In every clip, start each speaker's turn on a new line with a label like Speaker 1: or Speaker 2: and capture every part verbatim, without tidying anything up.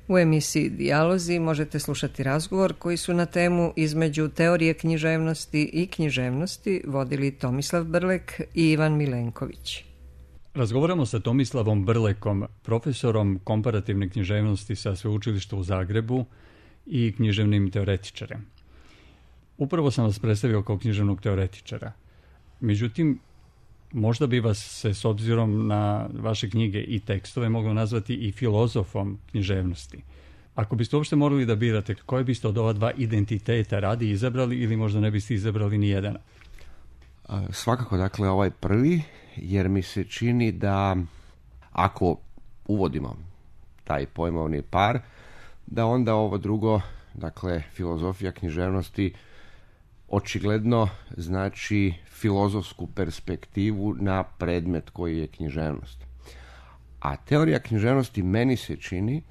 Speaker 1: U emisiji Dijalozi možete slušati razgovor koji su na temu između teorije književnosti i književnosti vodili Tomislav Brlek i Ivan Milenković.
Speaker 2: Razgovaramo sa Tomislavom Brlekom, profesorom komparativne književnosti sa Sveučilišta u Zagrebu i književnim teoretičarem. Upravo sam vas predstavio kao književnog teoretičara. Međutim, možda bi vas se s obzirom na vaše knjige i tekstove moglo nazvati i filozofom književnosti. Ako biste uopšte morali da birate koje biste od ova dva identiteta radi izabrali ili možda ne biste izabrali ni jedan?
Speaker 3: Svakako, dakle, ovaj prvi, jer mi se čini da ako uvodimo taj pojmovni par, da onda ovo drugo, dakle, filozofija književnosti, očigledno znači filozofsku perspektivu na predmet koji je književnost. A teorija književnosti meni se čini,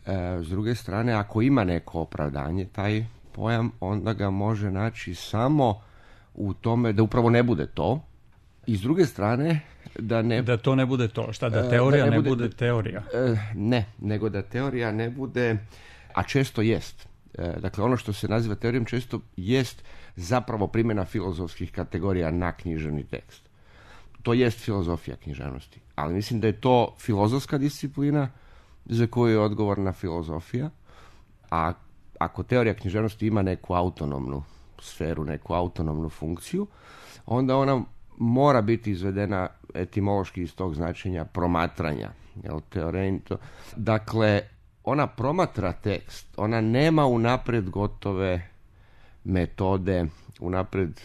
Speaker 3: e, s druge strane, ako ima neko opravdanje, taj pojam, onda ga može naći samo u tome da upravo ne bude to. I s druge strane, da ne...
Speaker 2: Da to ne bude to. Šta, da teorija da ne, ne bude, bude teorija?
Speaker 3: E, ne, nego da teorija ne bude, a često jest. E, dakle, ono što se naziva teorijom često jest zapravo primjena filozofskih kategorija na književni tekst. To jest filozofija književnosti. Ali mislim da je to filozofska disciplina za koju je odgovorna filozofija, a ako teorija književnosti ima neku autonomnu sferu, neku autonomnu funkciju, onda ona mora biti izvedena etimološki iz tog značenja promatranja. Jel, teorento. Dakle, ona promatra tekst, ona nema unaprijed gotove metode, unaprijed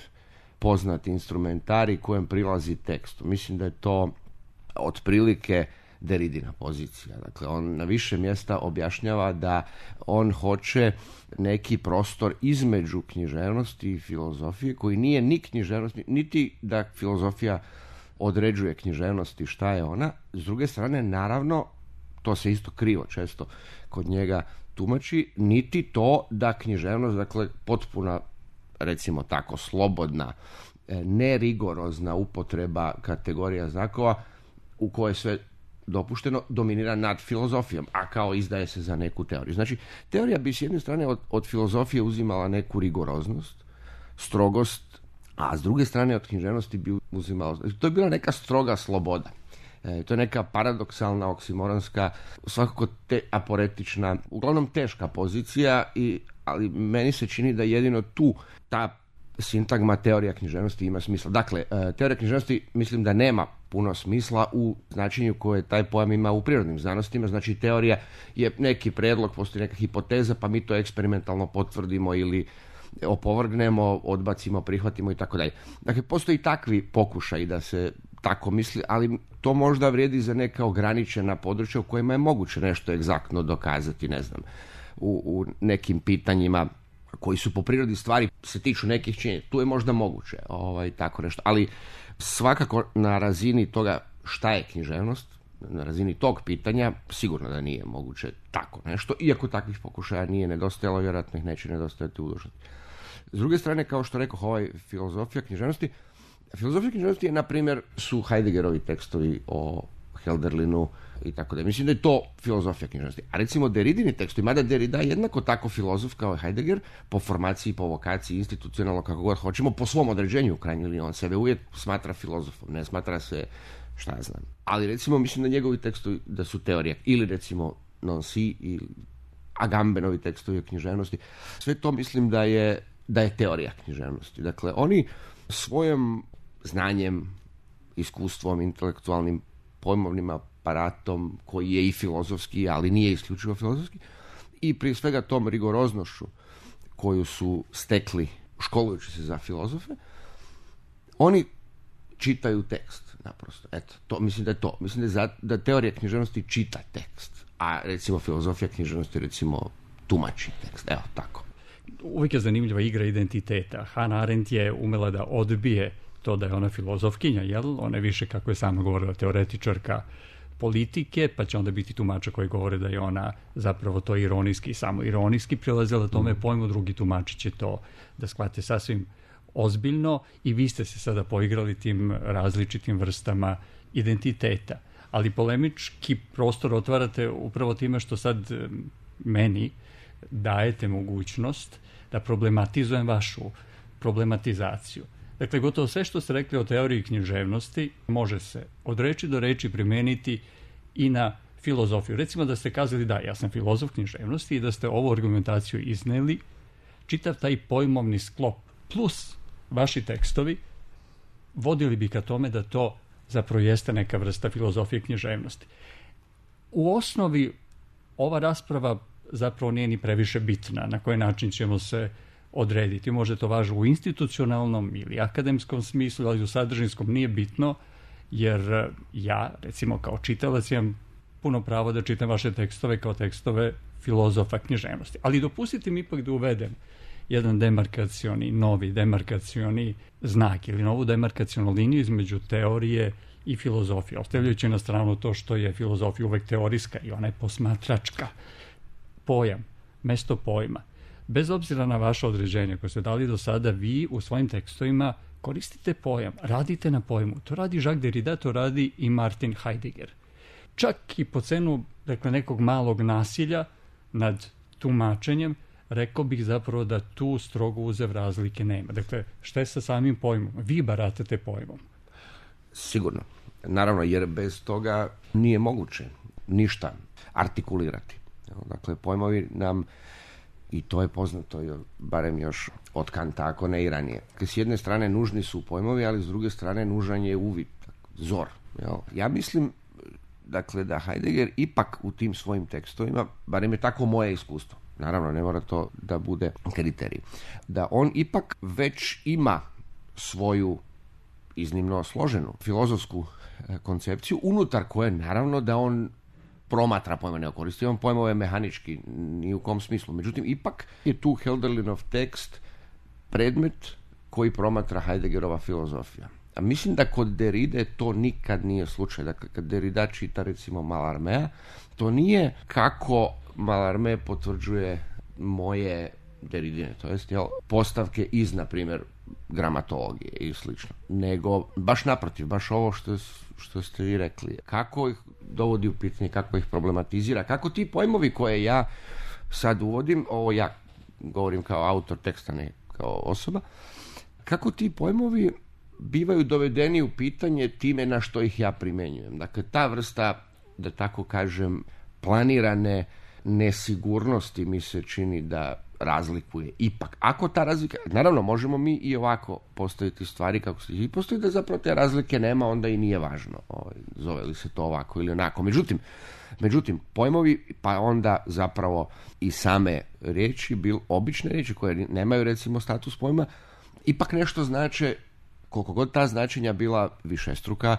Speaker 3: poznat instrumentarij kojem prilazi tekstu. Mislim da je to otprilike Derridina pozicija. Dakle, on na više mjesta objašnjava da on hoće neki prostor između književnosti i filozofije koji nije ni književnost, niti da filozofija određuje književnosti šta je ona. S druge strane, naravno, to se isto krivo često kod njega tumači, niti to da književnost, dakle, potpuna, recimo tako, slobodna, nerigorozna upotreba kategorija znakova u kojoj sve dopušteno dominira nad filozofijom, a kao izdaje se za neku teoriju. Znači, teorija bi s jedne strane od, od filozofije uzimala neku rigoroznost, strogost, a s druge strane od književnosti bi uzimala... To je bila neka stroga sloboda. E, to je neka paradoksalna, oksimoronska, svakako te, aporetična, uglavnom teška pozicija, i, ali meni se čini da jedino tu ta sintagma teorija književnosti ima smisla. Dakle, teorija književnosti mislim da nema puno smisla u značenju koje taj pojam ima u prirodnim znanostima. Znači, teorija je neki predlog, postoji neka hipoteza, pa mi to eksperimentalno potvrdimo ili opovrgnemo, odbacimo, prihvatimo i tako dalje. Dakle, postoji takvi pokušaj da se tako misli, ali to možda vrijedi za neka ograničena područja u kojima je moguće nešto egzaktno dokazati, ne znam, u, u nekim pitanjima koji su po prirodi stvari se tiču nekih činjenica. Tu je možda moguće ovaj, tako nešto. Ali svakako na razini toga šta je književnost, na razini tog pitanja, sigurno da nije moguće tako nešto, iako takvih pokušaja nije nedostajalo, vjerojatno ih neće nedostajati u budućnosti. S druge strane, kao što rekao, ovaj filozofija književnosti, filozofija književnosti je, na primjer, su Heideggerovi tekstovi o Hölderlinu i tako da. Mislim da je to filozofija književnosti. A recimo Derridini tekstovi, mada Derrida je jednako tako filozof kao Heidegger, po formaciji, po vokaciji, institucionalno, kako god hoćemo, po svom određenju u krajnjoj liniji. On sebe uvijek smatra filozofom, ne smatra se, šta ja znam. Ali recimo mislim da njegovi tekstovi da su teorija, ili recimo Nancy ili Agambenovi tekstovi o književnosti. Sve to mislim da je, da je teorija književnosti. Dakle, oni svojim znanjem, iskustvom, intelektualnim pojmovnim aparatom koji je i filozofski, ali nije isključivo filozofski, i prije svega tom rigoroznošću koju su stekli školujući se za filozofe, oni čitaju tekst, naprosto. Eto, to, mislim da je to. Mislim da, je za, da teorija književnosti čita tekst, a recimo filozofija književnosti recimo tumači tekst. Evo, tako.
Speaker 2: Uvijek je zanimljiva igra identiteta. Hannah Arendt je umela da odbije to da je ona filozofkinja, jel? Ona je više, kako je sama govorila, teoretičarka politike, pa će onda biti tumača koji govore da je ona zapravo to ironijski, samo ironijski prilazila tome mm. pojmu, drugi tumači će to da shvate sasvim ozbiljno, i vi ste se sada poigrali tim različitim vrstama identiteta. ali polemički prostor otvarate upravo time što sad meni dajete mogućnost da problematizujem vašu problematizaciju. Dakle, gotovo sve što ste rekli o teoriji književnosti može se od reči do reči primeniti i na filozofiju. Recimo da ste kazali da, ja sam filozof književnosti i da ste ovu argumentaciju izneli, čitav taj pojmovni sklop plus vaši tekstovi vodili bi ka tome da to zapravo jeste neka vrsta filozofije književnosti. U osnovi ova rasprava zapravo nije ni previše bitna na koji način ćemo se odrediti. Može to važno u institucionalnom ili akademskom smislu, ali u sadržinskom nije bitno, jer ja, recimo kao čitalac, imam puno pravo da čitam vaše tekstove kao tekstove filozofa književnosti. Ali dopustite mi ipak da uvedem jedan demarkacioni, novi demarkacioni znak ili novu demarkacionu liniju između teorije i filozofije, ostavljajući na stranu to što je filozofija uvek teorijska i ona je posmatračka. Pojam, mesto pojma. Bez obzira na vaše određenje koje ste dali do sada, vi u svojim tekstovima koristite pojam, radite na pojmu. To radi Jacques Derrida, to radi i Martin Heidegger. Čak i po cenu, dakle, nekog malog nasilja nad tumačenjem, rekao bih zapravo da tu strogo uzev razlike nema. Dakle, šta je sa samim pojmom? Vi baratate pojmom.
Speaker 3: Sigurno. Naravno, jer bez toga nije moguće ništa artikulirati. Dakle, pojmovi nam, i to je poznato, barem još od Kanta, ako ne i ranije. Dakle, s jedne strane nužni su pojmovi, ali s druge strane nužan je uvid, zor. Jel? Ja mislim, dakle, da Heidegger ipak u tim svojim tekstovima, barem je tako moje iskustvo, naravno ne mora to da bude kriterij, da on ipak već ima svoju iznimno složenu filozofsku koncepciju, unutar koje naravno da on promatra pojma, ne koristi on pojmove mehanički, ni u kom smislu. Međutim, ipak je tu Hölderlinov tekst predmet koji promatra Heideggerova filozofija. A mislim da kod Derride to nikad nije slučaj. Dakle, kad Derrida čita recimo Mallarméa, to nije kako Mallarmé potvrđuje moje Derridine, to jest jel, postavke iz, na primjer, gramatologije i slično, nego baš naprotiv, baš ovo što, što ste vi rekli. Kako ih dovodi u pitanje, kako ih problematizira, kako ti pojmovi koje ja sad uvodim, ovo ja govorim kao autor teksta, ne kao osoba, kako ti pojmovi bivaju dovedeni u pitanje time na što ih ja primenjujem. Dakle, ta vrsta, da tako kažem, planirane nesigurnosti mi se čini da razlikuje ipak. Ako ta razlika, naravno možemo mi i ovako postaviti stvari kako se i postoji da zapravo te razlike nema, onda i nije važno ovaj, zove li se to ovako ili onako. Međutim, međutim pojmovi, pa onda zapravo i same riječi, bil, obične riječi koje nemaju recimo status pojma, ipak nešto znače, koliko god ta značenja bila višestruka,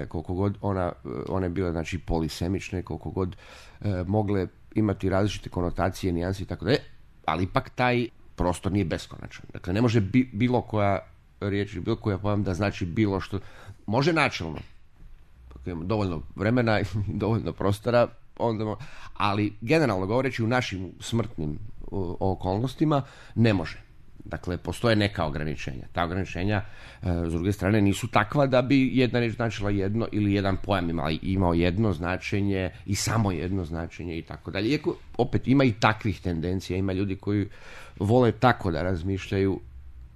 Speaker 3: koliko god ona, one bile znači polisemične, koliko god e, mogle imati različite konotacije, nijanse i tako dalje, ali ipak taj prostor nije beskonačan. Dakle, ne može bi, bilo koja riječ, bilo koja pojam da znači bilo što. Može načelno. Imamo dovoljno vremena i dovoljno prostora, onda, ali generalno govoreći u našim smrtnim o, okolnostima ne može. Dakle, postoje neka ograničenja. Ta ograničenja, e, s druge strane, nisu takva da bi jedna riječ značila jedno ili jedan pojam imao, imao jedno značenje i samo jedno značenje i tako dalje. Iako, opet, ima i takvih tendencija, ima ljudi koji vole tako da razmišljaju.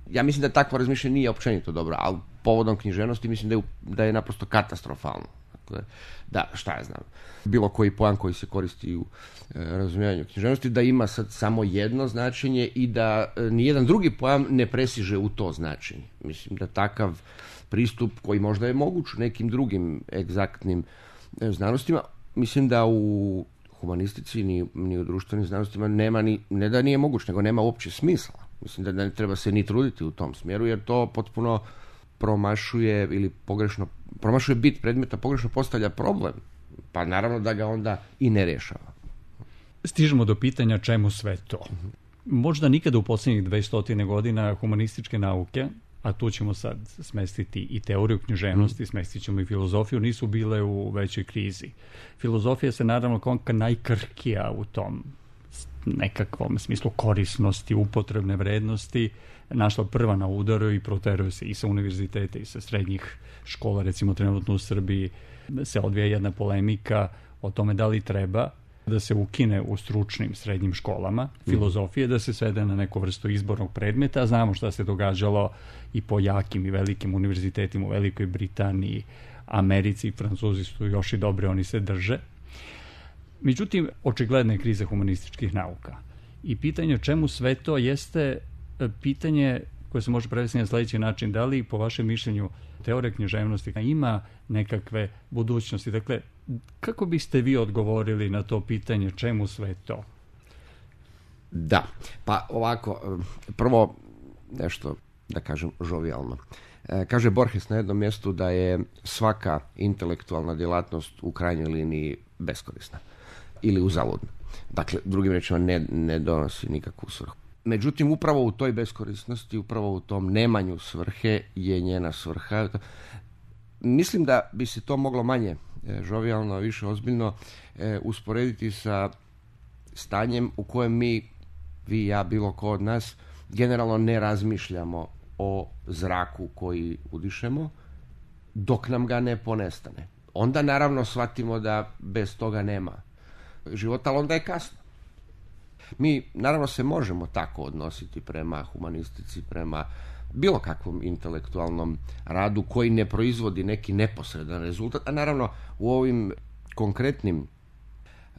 Speaker 3: Ja mislim da takvo razmišljanje nije općenito dobro, ali povodom književnosti mislim da je, da je naprosto katastrofalno. Dakle, da, šta ja znam, bilo koji pojam koji se koristi u e, razumijevanju književnosti, da ima sad samo jedno značenje i da e, nijedan drugi pojam ne presiže u to značenje. Mislim da takav pristup koji možda je moguć u nekim drugim egzaktnim e, znanostima, mislim da u humanistici ni, ni u društvenim znanostima nema ni, ne da nije moguć, nego nema uopće smisla. Mislim da ne treba se ni truditi u tom smjeru, jer to potpuno promašuje ili pogrešno promašuje bit predmeta, pogrešno postavlja problem, pa naravno da ga onda i ne rješava.
Speaker 2: Stižemo do pitanja čemu sve to. Možda nikada u posljednjih dvesta godina humanističke nauke, a tu ćemo sad smestiti i teoriju književnosti, smestit ćemo i filozofiju, nisu bile u većoj krizi. Filozofija se naravno konka najkrhkija u tom nekakvom smislu korisnosti, upotrebne vrednosti našla prva na udaru i proteruje se i sa univerziteta i sa srednjih škola. Recimo trenutno u Srbiji se odvija jedna polemika o tome da li treba da se ukine u stručnim srednjim školama filozofije, da se svede na neku vrstu izbornog predmeta. Znamo šta se događalo i po jakim i velikim univerzitetima u Velikoj Britaniji, Americi i Francuzi su još i dobre, oni se drže. Međutim, očigledna je kriza humanističkih nauka. I pitanje čemu sve to jeste pitanje koje se može prevesti na sledeći način. Da li, po vašem mišljenju, teorija književnosti ima nekakve budućnosti? Dakle, kako biste vi odgovorili na to pitanje čemu sve to?
Speaker 3: Da, pa ovako, prvo nešto da kažem žovijalno. Kaže Borges na jednom mjestu da je svaka intelektualna djelatnost u krajnjoj liniji beskorisna ili uzaludna. Dakle, drugim rečima ne, ne donosi nikakvu svrhu. Međutim, upravo u toj beskorisnosti, upravo u tom nemanju svrhe je njena svrha. Mislim da bi se to moglo manje žovijalno, više ozbiljno e, usporediti sa stanjem u kojem mi, vi, ja, bilo ko od nas, generalno ne razmišljamo o zraku koji udišemo dok nam ga ne ponestane. Onda naravno shvatimo da bez toga nema života, ali onda je kasno. Mi naravno se možemo tako odnositi prema humanistici, prema bilo kakvom intelektualnom radu koji ne proizvodi neki neposredan rezultat, a naravno u ovim konkretnim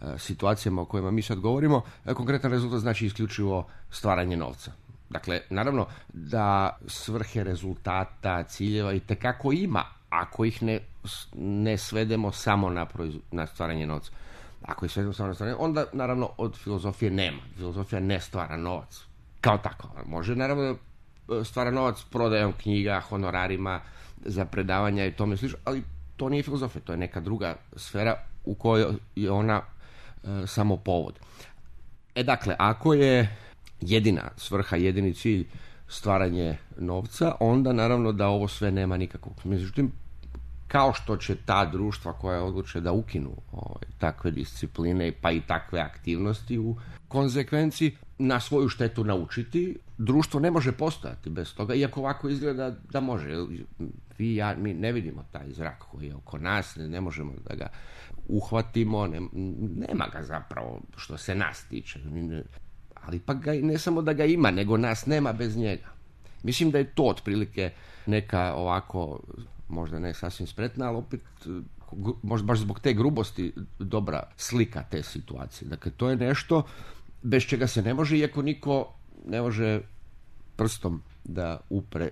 Speaker 3: e, situacijama o kojima mi sad govorimo, e, konkretan rezultat znači isključivo stvaranje novca. Dakle, naravno da svrhe rezultata, ciljeva itekako ima, ako ih ne, ne svedemo samo na, proiz, na stvaranje novca. Ako ih svedemo samo na stvaranje, onda naravno od filozofije nema. Filozofija ne stvara novac kao tako. Može naravno stvara novac prodajom knjiga, honorarima za predavanja i tome slično, ali to nije filozofija, to je neka druga sfera u kojoj je ona e, samo povod. E dakle, ako je jedina svrha, jedini cilj stvaranje novca, onda naravno da ovo sve nema nikakvog. Međutim, kao što će ta društva koja odluče da ukinu ovaj, takve discipline pa i takve aktivnosti u konzekvenciji na svoju štetu naučiti, društvo ne može postojati bez toga, iako ovako izgleda da može. Vi, ja, mi ne vidimo taj zrak koji je oko nas, ne, ne možemo da ga uhvatimo, ne, nema ga zapravo što se nas tiče. Ali pa ga, ne samo da ga ima, nego nas nema bez njega. Mislim da je to otprilike neka ovako, možda ne sasvim spretna, ali opet možda baš zbog te grubosti dobra slika te situacije. Dakle, to je nešto bez čega se ne može, iako niko ne može prstom da upre,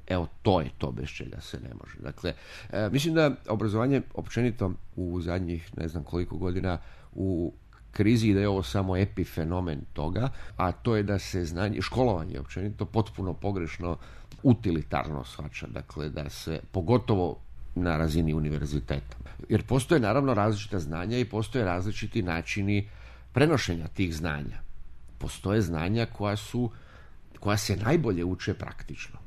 Speaker 3: evo to je to bez čega se ne može. Dakle, e, mislim da obrazovanje općenito u zadnjih ne znam koliko godina u krizi i da je ovo samo epifenomen toga, a to je da se znanje, školovanje općenito potpuno pogrešno utilitarno shvaća, dakle da se pogotovo na razini univerziteta. Jer postoje naravno različita znanja i postoje različiti načini prenošenja tih znanja. Postoje znanja koja su, koja se najbolje uče praktično.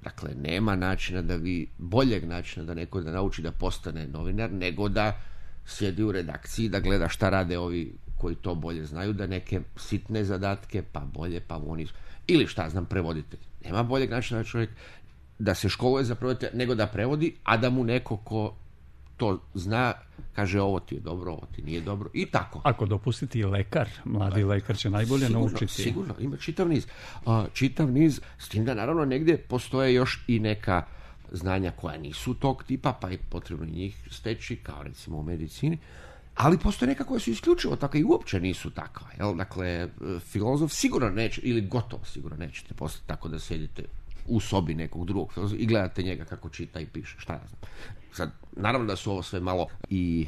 Speaker 3: Dakle, nema načina da vi, boljeg načina da neko da nauči da postane novinar, nego da sjedi u redakciji, da gleda šta rade ovi koji to bolje znaju, da neke sitne zadatke, pa bolje, pa oni, ili šta znam, prevoditelj. Nema boljeg načina da čovjek da se školuje za prevoditelja, nego da prevodi, a da mu neko ko to zna, kaže ovo ti je dobro, ovo ti nije dobro, i tako.
Speaker 2: Ako dopustiti lekar, mladi lekar će najbolje
Speaker 3: sigurno,
Speaker 2: naučiti.
Speaker 3: Sigurno, ima čitav niz. Uh, čitav niz, s tim da naravno negdje postoje još i neka znanja koja nisu tog tipa, pa je potrebno njih steći, kao recimo u medicini, ali postoje neka koja su isključivo takva i uopće nisu takva. Jel? Dakle, filozof sigurno neće, ili gotovo sigurno nećete postati tako da sjedite u sobi nekog drugog filozofa i gledate njega kako čita i piše, šta ja znam. Sad, naravno da su ovo sve malo i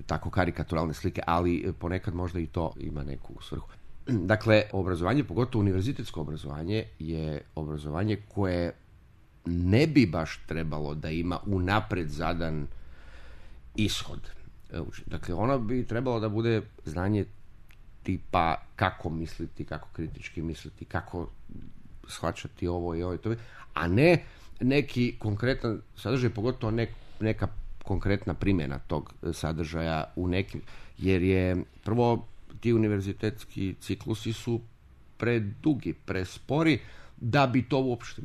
Speaker 3: tako karikaturalne slike, ali ponekad možda i to ima neku svrhu. Dakle, obrazovanje, pogotovo univerzitetsko obrazovanje, je obrazovanje koje ne bi baš trebalo da ima unapred zadan ishod. Dakle, ono bi trebalo da bude znanje tipa kako misliti, kako kritički misliti, kako shvaćati ovo i ovo i to, a ne neki konkretan sadržaj, pogotovo ne, neka konkretna primjena tog sadržaja u nekim, jer je prvo ti univerzitetski ciklusi su predugi, prespori da bi to uopšte,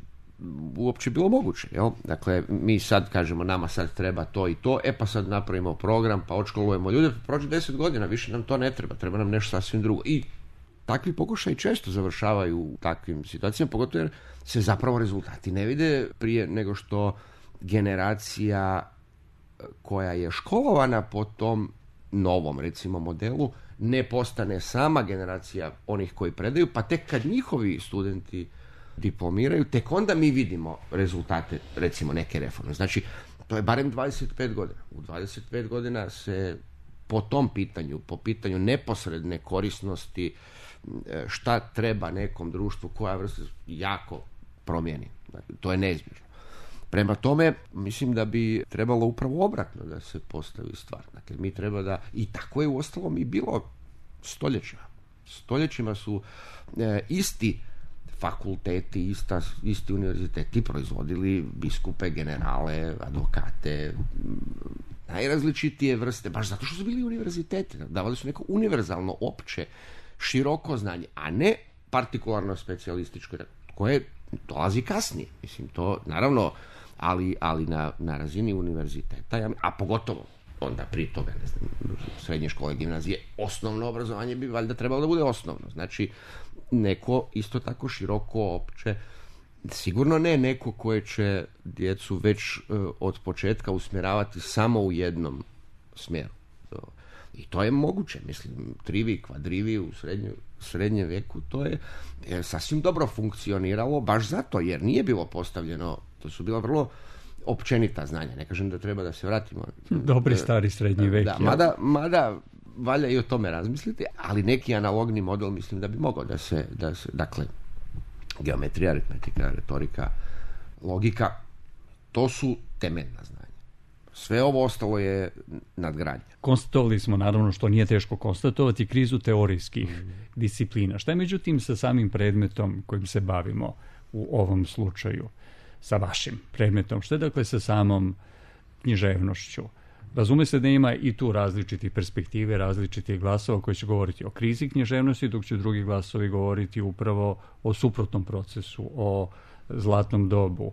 Speaker 3: uopće bilo moguće. Jel? Dakle, mi sad kažemo nama sad treba to i to, e pa sad napravimo program, pa odškolujemo ljude, pa prođe deset godina, više nam to ne treba, treba nam nešto sasvim drugo. I takvi pokušaji često završavaju u takvim situacijama, pogotovo jer se zapravo rezultati ne vide prije nego što generacija koja je školovana po tom novom, recimo, modelu, ne postane sama generacija onih koji predaju, pa tek kad njihovi studenti diplomiraju, tek onda mi vidimo rezultate, recimo, neke reforme. Znači, to je barem dvadeset pet godina. U dvadeset pet godina se po tom pitanju, po pitanju neposredne korisnosti, šta treba nekom društvu, koja vrsta, jako promijeni. Dakle, to je neizbježno. Prema tome, mislim da bi trebalo upravo obratno da se postavi stvar. Dakle, mi treba da, i tako je uostalom i bilo stoljećima. Stoljećima su e, isti fakulteti, ista, isti univerziteti proizvodili biskupe, generale, advokate, najrazličitije vrste, baš zato što su bili univerziteti. Davali su neko univerzalno, opće, široko znanje, a ne partikularno specijalističko, koje dolazi kasnije. Mislim, to, naravno, ali, ali na, na razini univerziteta, a pogotovo onda prije toga, ne znam, srednje škole, gimnazije, osnovno obrazovanje bi valjda trebalo da bude osnovno. Znači, neko isto tako široko, opće, sigurno ne neko koje će djecu već uh, od početka usmjeravati samo u jednom smjeru. I to je moguće, mislim, trivi, kvadrivi u srednju, srednjem veku, to je, je sasvim dobro funkcioniralo, baš zato, jer nije bilo postavljeno, to su bila vrlo općenita znanja, ne kažem da treba da se vratimo.
Speaker 2: Dobri stari srednji vek.
Speaker 3: Da, mada, mada valja i o tome razmisliti, ali neki analogni model mislim da bi mogao da se, da se dakle, geometrija, aritmetika, retorika, logika, to su temeljna znanja. Sve ovo ostalo je nadgradnja.
Speaker 2: Konstatovali smo, naravno, što nije teško konstatovati, krizu teorijskih mm. disciplina. Šta je međutim sa samim predmetom kojim se bavimo u ovom slučaju, sa vašim predmetom? Šta je dakle sa samom književnošću? Razume se da ima i tu različitih perspektive, različitih glasova koji će govoriti o krizi književnosti, dok će drugi glasovi govoriti upravo o suprotnom procesu, o zlatnom dobu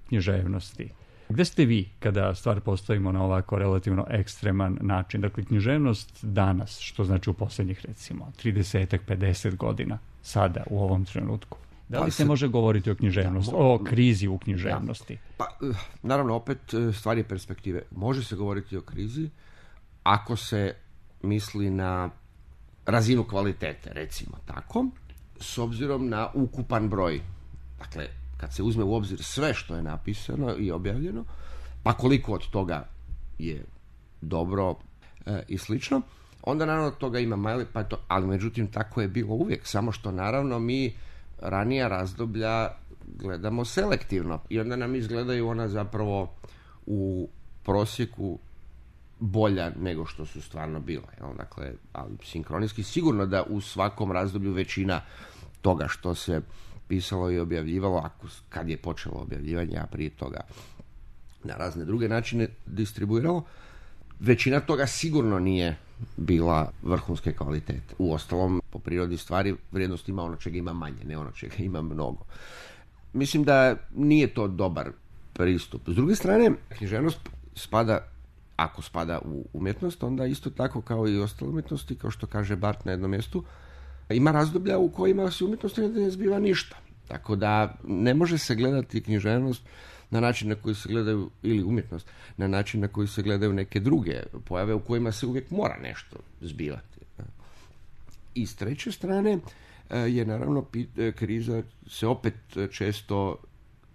Speaker 2: književnosti. Gde ste vi kada stvar postavimo na ovako relativno ekstreman način? Dakle, književnost danas, što znači u posljednjih, recimo, trideset pedeset godina, sada, u ovom trenutku. Da li pa se, se može govoriti o književnosti, da, mo, o krizi u književnosti?
Speaker 3: Da. Pa, naravno, opet, stvar je perspektive. Može se govoriti o krizi ako se misli na razinu kvalitete, recimo tako, s obzirom na ukupan broj. Dakle, kad se uzme u obzir sve što je napisano i objavljeno, pa koliko od toga je dobro e, i slično, onda naravno toga ima mali, pa to, ali međutim tako je bilo uvijek, samo što naravno mi ranija razdoblja gledamo selektivno i onda nam izgledaju ona zapravo u prosjeku bolja nego što su stvarno bila. Jel? Dakle, ali sinkronijski sigurno da u svakom razdoblju većina toga što se pisalo i objavljivalo, ako, kad je počelo objavljivanje, a prije toga na razne druge načine distribuiralo, većina toga sigurno nije bila vrhunske kvalitete. Uostalom, po prirodi stvari, vrijednost ima ono čega ima manje, ne ono čega ima mnogo. Mislim da nije to dobar pristup. S druge strane, književnost spada, ako spada u umjetnost, onda isto tako kao i ostale umjetnosti, kao što kaže Barth na jednom mjestu, ima razdoblja u kojima se umjetnost ne zbiva ništa. Tako da ne može se gledati književnost na način na koji se gledaju, ili umjetnost, na način na koji se gledaju neke druge pojave u kojima se uvijek mora nešto zbivati. I s treće strane je naravno kriza se opet često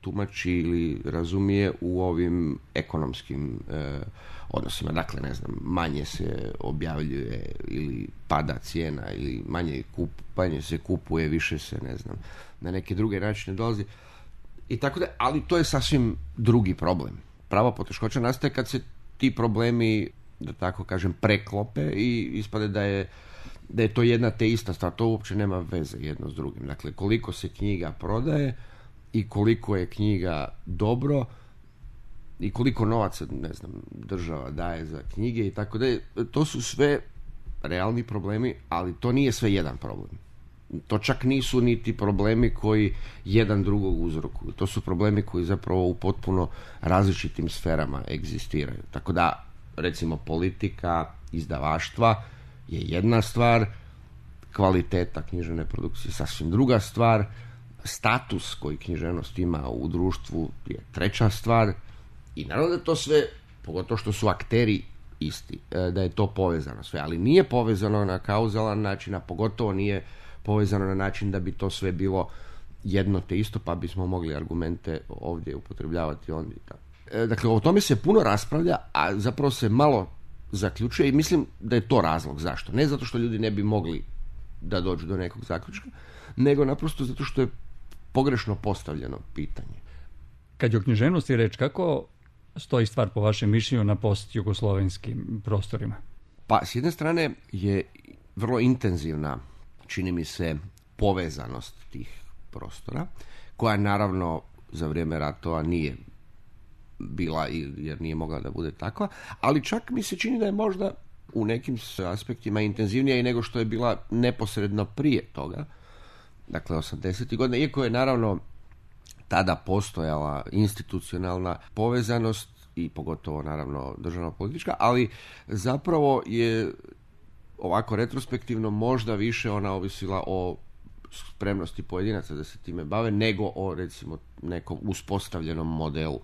Speaker 3: tumači ili razumije u ovim ekonomskim eh, odnosima. Dakle, ne znam, manje se objavljuje ili pada cijena ili manje, kup, manje se kupuje, više se, ne znam, na neke druge načine dolazi. I tako da, ali to je sasvim drugi problem. Prava poteškoća nastaje kad se ti problemi, da tako kažem, preklope i ispade da je da je to jedna te ista stvar. To uopće nema veze jedno s drugim. Dakle, koliko se knjiga prodaje i koliko je knjiga dobro i koliko novaca, ne znam, država daje za knjige i tako da, to su sve realni problemi, ali to nije sve jedan problem. To čak nisu niti problemi koji jedan drugog uzrokuju. To su problemi koji zapravo u potpuno različitim sferama egzistiraju. Tako da, recimo, politika izdavaštva je jedna stvar, kvaliteta književne produkcije sasvim druga stvar, status koji književnost ima u društvu je treća stvar i naravno da to sve, pogotovo što su akteri isti, da je to povezano sve, ali nije povezano na kauzalan način, a pogotovo nije povezano na način da bi to sve bilo jedno te isto, pa bismo mogli argumente ovdje upotrebljavati ondje. Dakle, o tome se puno raspravlja, a zapravo se malo zaključuje i mislim da je to razlog zašto. Ne zato što ljudi ne bi mogli da dođu do nekog zaključka, nego naprosto zato što je pogrešno postavljeno pitanje.
Speaker 2: Kad je o književnosti reč, kako stoji stvar po vašem mišljenju na post-jugoslovenskim prostorima?
Speaker 3: Pa, s jedne strane je vrlo intenzivna, čini mi se, povezanost tih prostora, koja naravno za vrijeme ratova nije bila, jer nije mogla da bude takva, ali čak mi se čini da je možda u nekim aspektima intenzivnija i nego što je bila neposredno prije toga, dakle osamdesetih godina, iako je naravno tada postojala institucionalna povezanost i pogotovo naravno državno-politička, ali zapravo je ovako retrospektivno možda više ona ovisila o spremnosti pojedinaca da se time bave, nego o recimo nekom uspostavljenom modelu.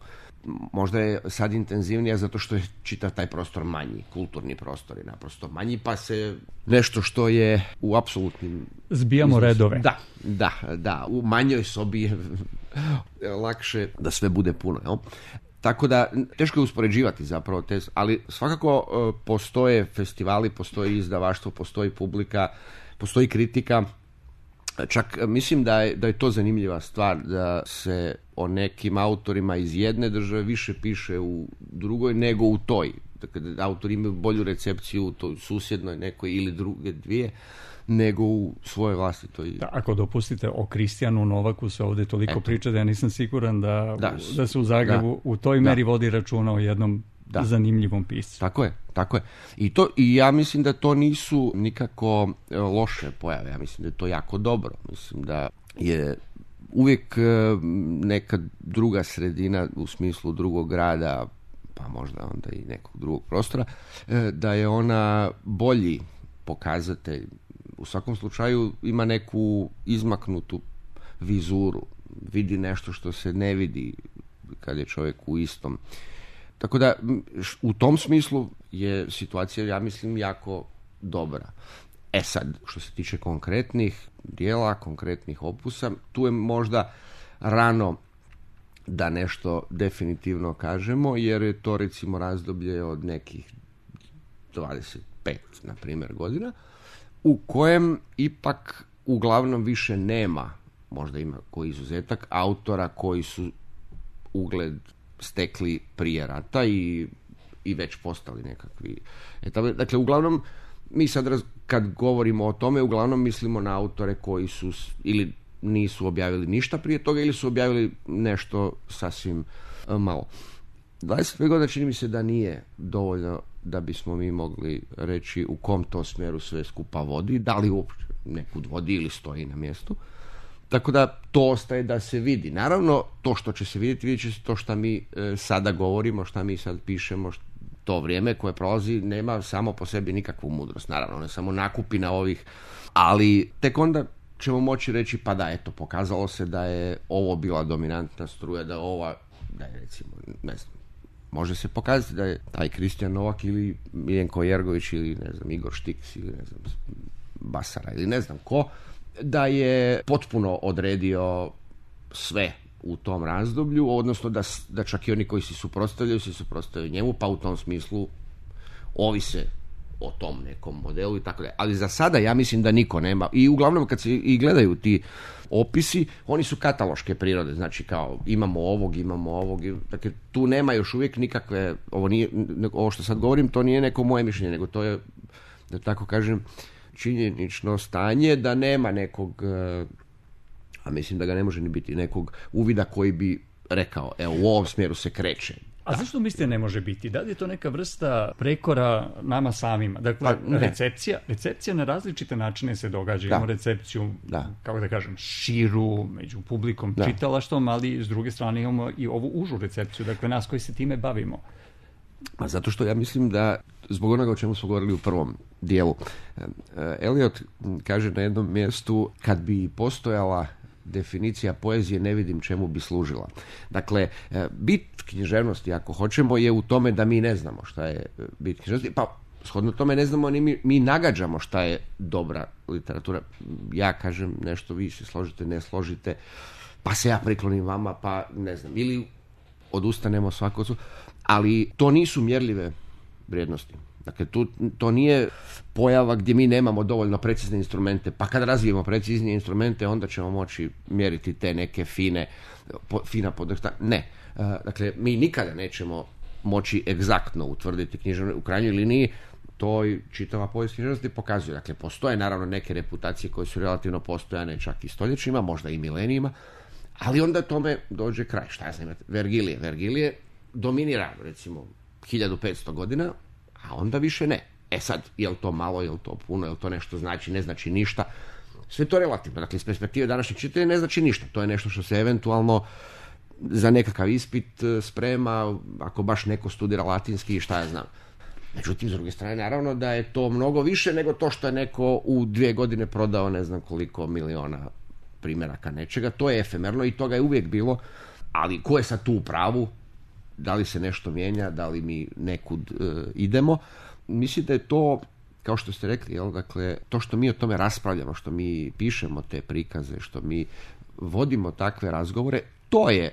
Speaker 3: Možda je sad intenzivnija zato što je čitav taj prostor manji, kulturni prostor je naprosto manji, pa se nešto što je u apsolutnim...
Speaker 2: Zbijamo iznosu, redove.
Speaker 3: Da, da, da, u manjoj sobi je lakše da sve bude puno, jel? Tako da, teško je uspoređivati zapravo te, ali svakako postoje festivali, postoji izdavaštvo, postoji publika, postoji kritika. Čak mislim da je, da je to zanimljiva stvar, da se o nekim autorima iz jedne države više piše u drugoj nego u toj. Dakle, da autori imaju bolju recepciju u toj susjednoj nekoj ili druge dvije nego u svojoj vlastitoj.
Speaker 2: Da, ako dopustite, o Kristijanu Novaku se ovdje toliko Eto. priča da ja nisam siguran da, da, da se u Zagrebu da, u toj meri da. vodi računa o jednom da. zanimljivom piscu.
Speaker 3: Tako je, tako je. I, to, I ja mislim da to nisu nikako loše pojave, ja mislim da je to jako dobro. Mislim da je uvijek neka druga sredina u smislu drugog grada, pa možda onda i nekog drugog prostora, da je ona bolji pokazatelj. U svakom slučaju ima neku izmaknutu vizuru, vidi nešto što se ne vidi kad je čovjek u istom. Tako da u tom smislu je situacija, ja mislim, jako dobra. E sad, što se tiče konkretnih dijela, konkretnih opusa, tu je možda rano da nešto definitivno kažemo, jer je to recimo razdoblje od nekih dvadeset pet, na primjer, godina, u kojem ipak uglavnom više nema, možda ima koji izuzetak, autora koji su ugled stekli prije rata i, i već postali nekakvi etape. Dakle, uglavnom, mi sad raz, kad govorimo o tome, uglavnom mislimo na autore koji su ili nisu objavili ništa prije toga ili su objavili nešto sasvim malo. dvadeset pet godina čini mi se da nije dovoljno da bismo mi mogli reći u kom to smjeru sve skupa vodi, da li uopće nekud vodi ili stoji na mjestu. Tako da to ostaje da se vidi. Naravno, to što će se vidjeti, vidjet će se to što mi e, sada govorimo, što mi sad pišemo, što, to vrijeme koje prolazi nema samo po sebi nikakvu mudrost. Naravno, ne samo nakupina ovih, ali tek onda ćemo moći reći, pa da, eto, pokazalo se da je ovo bila dominantna struja, da ova, da je recimo, ne znam, može se pokazati da je taj Kristijan Novak ili Miljenko Jergović ili ne znam, Igor Štiks ili ne znam, Basara ili ne znam ko, da je potpuno odredio sve u tom razdoblju, odnosno da, da čak i oni koji se suprotstavljaju se suprotstavljaju njemu, pa u tom smislu ovise o tom nekom modelu i tako dalje. Ali za sada ja mislim da niko nema. I uglavnom kad se i gledaju ti opisi, oni su kataloške prirode, znači kao imamo ovog, imamo ovog, dakle tu nema još uvijek nikakve, ovo, nije, ovo što sad govorim, to nije neko moje mišljenje, nego to je, da tako kažem, činjenično stanje, da nema nekog, a mislim da ga ne može ni biti, nekog uvida koji bi rekao, evo u ovom smjeru se kreće
Speaker 2: A zašto mislite ne može biti? Da li je to neka vrsta prekora nama samima? Dakle,
Speaker 3: pa,
Speaker 2: recepcija, recepcija na različite načine se događa. Imamo recepciju, da. kako da kažem, širu, među publikom, da. čitalaštvom, ali s druge strane imamo i ovu užu recepciju, dakle nas koji se time bavimo.
Speaker 3: A zato što ja mislim da, zbog onoga o čemu smo govorili u prvom dijelu, Eliot kaže na jednom mjestu, kad bi postojala definicija poezije, ne vidim čemu bi služila. Dakle, bit književnosti, ako hoćemo, je u tome da mi ne znamo šta je bit književnosti, pa shodno tome ne znamo ni mi, mi nagađamo šta je dobra literatura. Ja kažem nešto, vi se složite, ne složite, pa se ja priklonim vama, pa ne znam, ili odustanemo svako, ali to nisu mjerljive vrijednosti. Dakle, tu, to nije pojava gdje mi nemamo dovoljno precizne instrumente, pa kad razvijemo preciznije instrumente, onda ćemo moći mjeriti te neke fine, po, fina podršta. Ne. Dakle, mi nikada nećemo moći egzaktno utvrditi književnost. U krajnjoj liniji to i čitava povijest književnosti pokazuje. Dakle, postoje naravno neke reputacije koje su relativno postojane čak i stoljećima, možda i milenijima, ali onda tome dođe kraj. Šta ja znam, Vergilije. Vergilije dominira, recimo, hiljadu petsto godina, a onda više ne. E sad, je li to malo, je li to puno, je li to nešto znači, ne znači ništa. Sve to relativno. Dakle, iz perspektive današnjeg čitanja ne znači ništa. To je nešto što se eventualno za nekakav ispit sprema, ako baš neko studira latinski i šta ja znam. Međutim, s druge strane, naravno da je to mnogo više nego to što je neko u dvije godine prodao ne znam koliko miliona primjeraka nečega. To je efemerno i toga je uvijek bilo, ali ko je sad tu u pravu? Da li se nešto mijenja, da li mi nekud e, idemo? Mislim da je to, kao što ste rekli, jel, dakle, to što mi o tome raspravljamo, što mi pišemo te prikaze, što mi vodimo takve razgovore, to je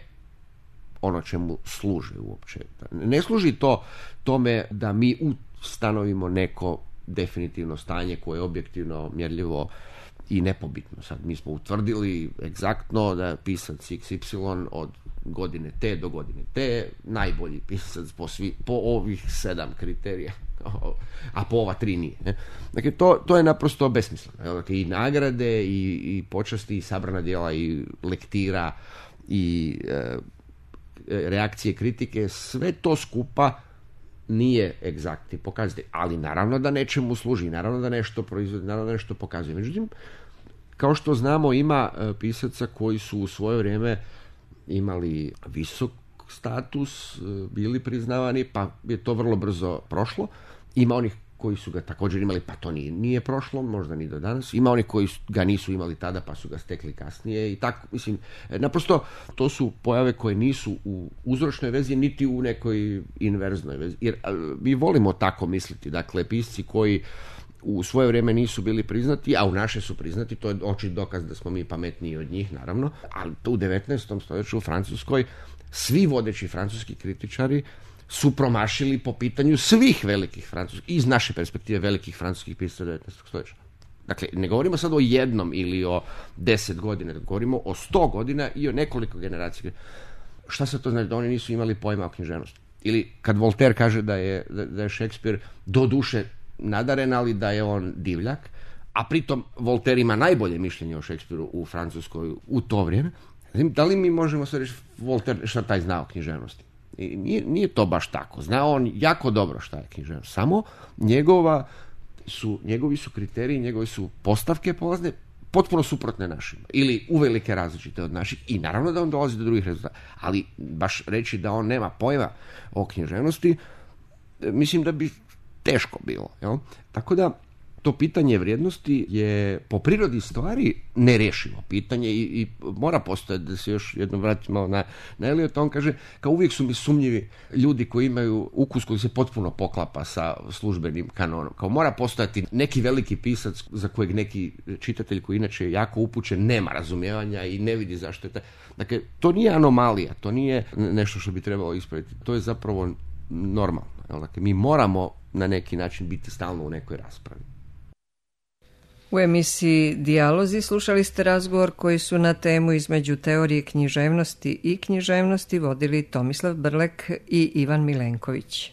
Speaker 3: ono čemu služi uopće. Ne služi to tome da mi ustanovimo neko definitivno stanje koje je objektivno mjerljivo i nepobitno. Sad mi smo utvrdili egzaktno da je pisac iks ipsilon od godine T do godine T najbolji pisac po, svi, po ovih sedam kriterija, a po ova tri nije. Ne? Dakle, to, to je naprosto besmisleno. Dakle, i nagrade, i, i počasti, i sabrana djela, i lektira, i e, reakcije, kritike, sve to skupa nije egzaktni pokazatelj, ali naravno da nečemu služi, naravno da nešto proizvodi, naravno da nešto pokazuje. Međutim, kao što znamo, ima pisaca koji su u svoje vrijeme imali visok status, bili priznavani, pa je to vrlo brzo prošlo. Ima onih koji su ga također imali, pa to nije, nije prošlo, možda ni do danas. Ima onih koji ga nisu imali tada, pa su ga stekli kasnije i tako, mislim, naprosto to su pojave koje nisu u uzročnoj vezi, niti u nekoj inverznoj vezi. Jer mi volimo tako misliti, dakle, pisci koji u svoje vrijeme nisu bili priznati, a u naše su priznati, to je očit dokaz da smo mi pametniji od njih, naravno, ali u devetnaestom stoljeću u Francuskoj svi vodeći francuski kritičari su promašili po pitanju svih velikih francuskih, iz naše perspektive velikih francuskih pisaca devetnaestog stoljeća. Dakle, ne govorimo sad o jednom ili o deset godina, govorimo o sto godina i o nekoliko generacija. Šta se to znači? Da oni nisu imali pojma o književnosti. Ili kad Voltaire kaže da je, da je Šekspir do duše nadaren, ali da je on divljak, a pritom Voltaire ima najbolje mišljenje o Šekspiru u Francuskoj u to vrijeme. Da li mi možemo sve reći Voltaire šta taj zna o književnosti? I nije, nije to baš tako. Zna on jako dobro šta je književnost. Samo njegova su, njegovi su kriteriji, njegove su postavke polazne potpuno suprotne našima. Ili uvelike različite od naših. I naravno da on dolazi do drugih rezultata. Ali baš reći da on nema pojma o književnosti, mislim da bi teško bilo. Jel? Tako da to pitanje vrijednosti je po prirodi stvari nerješivo pitanje i, i mora postojati, da se još jednom vratimo na, na Eliota. On kaže, kao uvijek su mi sumnjivi ljudi koji imaju ukus koji se potpuno poklapa sa službenim kanonom. Kao mora postojati neki veliki pisac za kojeg neki čitatelj koji inače je jako upućen nema razumijevanja i ne vidi zašto je taj. Dakle, to nije anomalija, to nije nešto što bi trebalo ispraviti. To je zapravo normalno. Dakle, mi moramo na neki način biti stalno u nekoj raspravi.
Speaker 1: U emisiji Dijalozi slušali ste razgovor koji su na temu između teorije književnosti i književnosti vodili Tomislav Brlek i Ivan Milenković.